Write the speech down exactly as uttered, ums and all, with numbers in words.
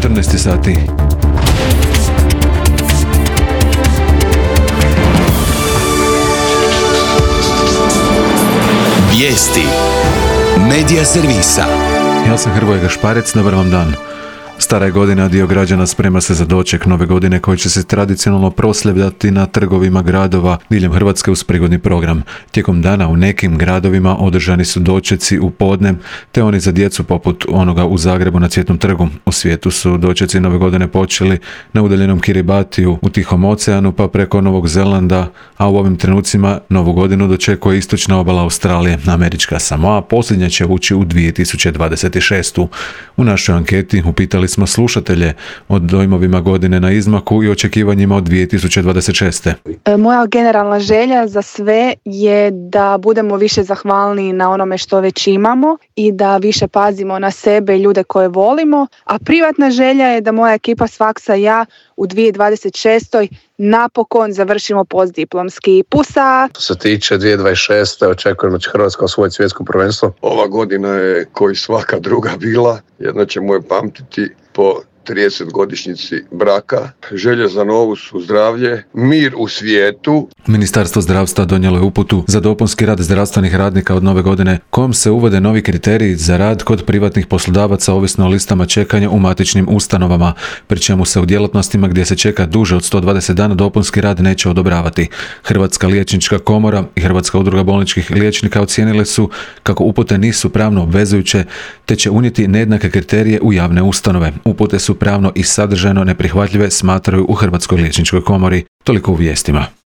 četrnaest sati. Vijesti Medija servisa. Ja sam Hrvoje Gašparec, dobar vam dan. Stara je godina, dio građana sprema se za doček nove godine koji će se tradicionalno proslavljati na trgovima gradova diljem Hrvatske uz prigodni program. Tijekom dana u nekim gradovima održani su dočeci u podne, te oni za djecu poput onoga u Zagrebu na Cvjetnom trgu. U svijetu su dočeci nove godine počeli na udaljenom Kiribatiju u Tihom oceanu pa preko Novog Zelanda, a u ovim trenucima novu godinu dočekuje istočna obala Australije. Američka Samoa posljednja će ući u dvije tisuće dvadeset šestu. U našoj anketi upitali smo slušatelje o dojmovima godine na izmaku i očekivanjima od dvije tisuće dvadeset šeste. Moja generalna želja za sve je da budemo više zahvalni na onome što već imamo i da više pazimo na sebe i ljude koje volimo, a privatna želja je da moja ekipa s faksa i ja u dvije tisuće dvadeset šestoj napokon završimo postdiplomski. Pusa! Što se tiče dvije tisuće dvadeset šeste očekujem da će Hrvatska osvojiti svjetsko prvenstvo. Ova godina je koji svaka druga bila, jedna ćemo je pamtiti po tridesetogodišnjici braka. Želje za novu su zdravlje, mir u svijetu. Ministarstvo zdravstva donijelo je uputu za dopunski rad zdravstvenih radnika od nove godine, kojom se uvode novi kriteriji za rad kod privatnih poslodavaca ovisno o listama čekanja u matičnim ustanovama, pri čemu se u djelatnostima gdje se čeka duže od sto dvadeset dana dopunski rad neće odobravati. Hrvatska liječnička komora i Hrvatska udruga bolničkih liječnika ocijenile su kako upute nisu pravno obvezujuće, te će unijeti nejednake kriterije u javne ustanove. Upute su pravno i sadržajno neprihvatljive, smatraju u Hrvatskoj liječničkoj komori. Toliko u vijestima.